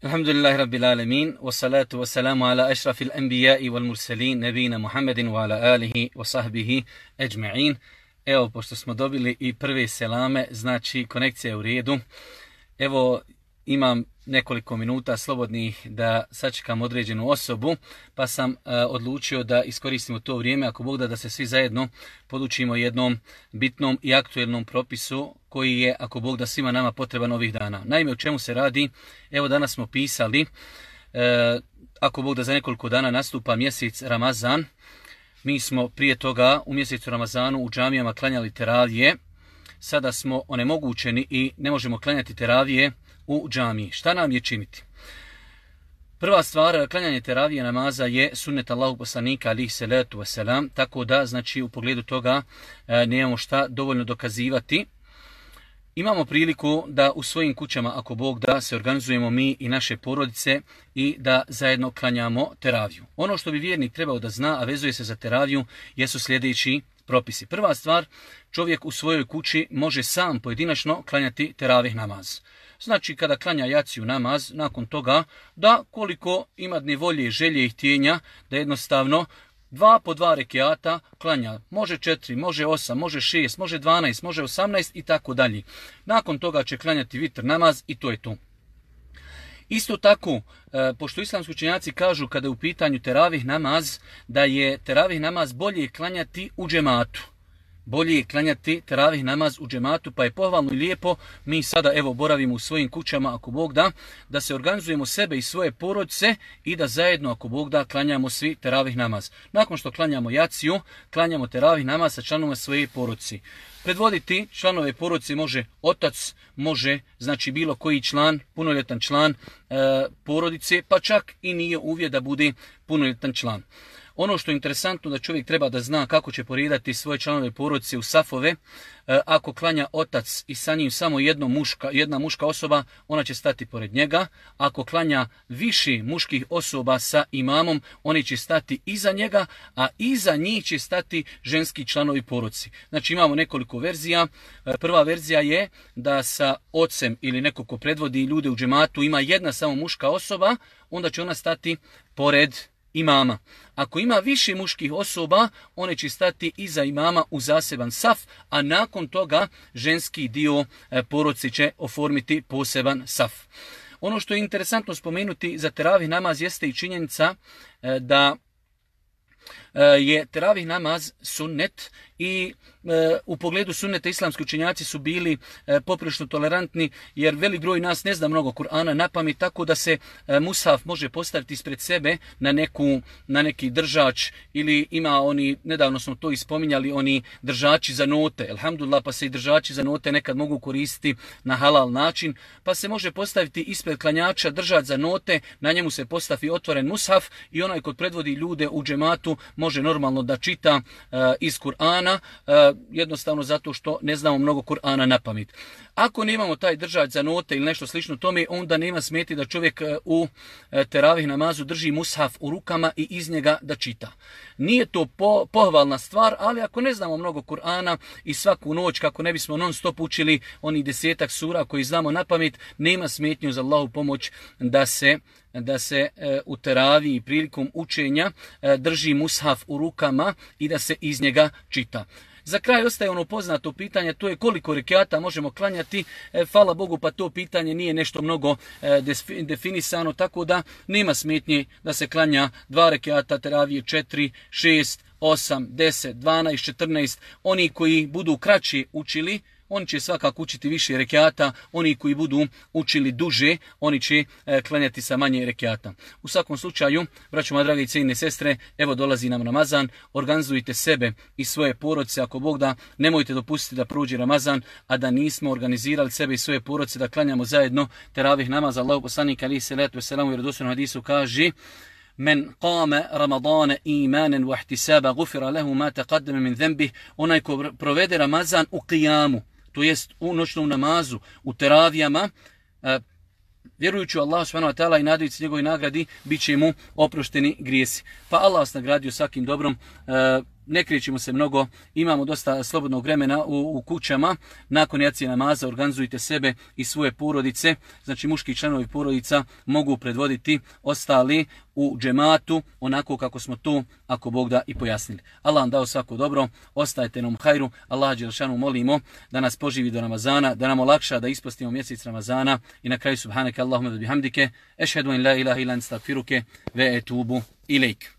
Alhamdulillahi Rabbil Alamin, wassalatu wassalamu ala ašrafil anbiya'i wal mursalin, nebina Muhammedin wa ala alihi wa sahbihi ejma'in. Evo, pošto smo dobili i prve selame, znači konekcija je u redu. Evo, imam nekoliko minuta slobodnih da sačekam određenu osobu, pa sam odlučio da iskoristimo to vrijeme, ako Bog da se svi zajedno podučimo jednom bitnom i aktuelnom propisu koji je, ako Bog da, svima nama potreban ovih dana. Naime, o čemu se radi? Evo, danas smo pisali, ako Bog da za nekoliko dana nastupa mjesec Ramazan. Mi smo prije toga u mjesecu Ramazanu u džamijama klanjali teravije. Sada smo onemogućeni i ne možemo klanjati teravije u džamiji. Šta nam je činiti? Prva stvar, klanjanje teravije namaza je sunnet Allahog poslanika alihi salatu wasalam, tako da, znači, u pogledu toga nemamo šta dovoljno dokazivati. Imamo priliku da u svojim kućama, ako Bog da, se organizujemo mi i naše porodice i da zajedno klanjamo teraviju. Ono što bi vjernik trebao da zna, a vezuje se za teraviju, jesu sljedeći propisi. Prva stvar, čovjek u svojoj kući može sam pojedinačno klanjati teravih namaz. Znači, kada klanja jaciju namaz, nakon toga da koliko ima dne volje, želje i htjenja, da jednostavno 2 po 2 rekiata klanja. Može 4, može 8, može 6, može 12, može 18 i tako dalje. Nakon toga će klanjati vitr namaz i to je to. Isto tako, pošto islamski učenjaci kažu kada je u pitanju teravih namaz, da je teravih namaz bolje klanjati u džematu. Bolje je klanjati teravih namaz u džematu, pa je pohvalno i lijepo. Mi sada evo boravimo u svojim kućama, ako Bog da se organizujemo sebe i svoje porodice i da zajedno, ako Bog da, klanjamo svi teravih namaz. Nakon što klanjamo jaciju, klanjamo teravih namaz sa članovima svoje porodice. Predvoditi članove porodice može otac, može znači bilo koji član, punoljetan član porodice, pa čak i nije uvjet da bude punoljetan član. Ono što je interesantno da čovjek treba da zna kako će poredati svoje članove porodice u safove. Ako klanja otac i sa njim samo jedna muška osoba, ona će stati pored njega. Ako klanja više muških osoba sa imamom, oni će stati iza njega, a iza njih će stati ženski članovi porodice. Znači imamo nekoliko verzija. Prva verzija je da sa ocem ili neko ko predvodi ljude u džematu ima jedna samo muška osoba, onda će ona stati pored imama. Ako ima više muških osoba, one će stati iza imama u zaseban saf, a nakon toga ženski dio porodice će oformiti poseban saf. Ono što je interesantno spomenuti za teravih namaz jeste i činjenica da je teravih namaz sunnet i u pogledu sunneta islamski učenjaci su bili poprilično tolerantni, jer velik broj nas ne zna mnogo Kur'ana napamet, tako da se mushaf može postaviti ispred sebe na neki držač, ili ima oni, nedavno smo to ispominjali, oni držači za note, alhamdulillah, pa se i držači za note nekad mogu koristiti na halal način, pa se može postaviti ispred klanjača držač za note, na njemu se postavi otvoren mushaf i onaj kod predvodi ljude u džematu može normalno da čita iz Kur'ana, jednostavno zato što ne znamo mnogo Kur'ana napamet. Ako nemamo taj držač za note ili nešto slično tome, onda nema smeti da čovjek u teravih namazu drži mushaf u rukama i iz njega da čita. Nije to pohvalna stvar, ali ako ne znamo mnogo Kur'ana i svaku noć, kako ne bismo non stop učili oni 10 sura koji znamo napamet, nema smetnju za Allahu pomoć da se u teraviji prilikom učenja drži mushaf u rukama i da se iz njega čita. Za kraj ostaje ono poznato pitanje, to je koliko rekiata možemo klanjati. Hvala Bogu, pa to pitanje nije nešto mnogo definisano, tako da nema smetnje da se klanja 2 rekiata teravije, 4, 6, 8, 10, 12, 14. Oni koji budu kraći učili, oni će svakako učiti više rekiata, oni koji budu učili duže, oni će klanjati sa manje rekiata. U svakom slučaju, braćo moje drage i cijenjene sestre, evo dolazi nam Ramazan, organizujte sebe i svoje porodice, ako Bog da, nemojte dopustiti da prođe Ramazan, a da nismo organizirali sebe i svoje porodice da klanjamo zajedno teravih namaza. Allahov poslanik alihi salatu vesselam u vjerodostojnom hadisu kaže: Men qama Ramadana imanan wa ihtisaba ghufira lahu ma taqaddama min dhanbih. Onaj ko provede Ramazan u qiyamu, to jest u noćnom namazu, u teravijama, vjerujući u Allah subhanahu wa ta'ala i nadajući njegovoj nagradi, bit će mu oprošteni grijesi. Pa Allah vas nagradio svakim dobrom. ne krećemo se mnogo, imamo dosta slobodnog vremena u kućama, nakon jacije namaza organizujte sebe i svoje porodice, znači muški članovi porodica mogu predvoditi ostali u džematu, onako kako smo to, ako Bog da, i pojasnili. Allah vam dao svako dobro, ostajte nam hajru, Allah dželešanu molimo da nas poživi do Ramazana, da nam olakša da ispostimo mjesec Ramazana i na kraju subhanaka Allahumma wa bihamdike, ešhedu en la ilaha illa ente, estagfiruke ve etubu ilejk.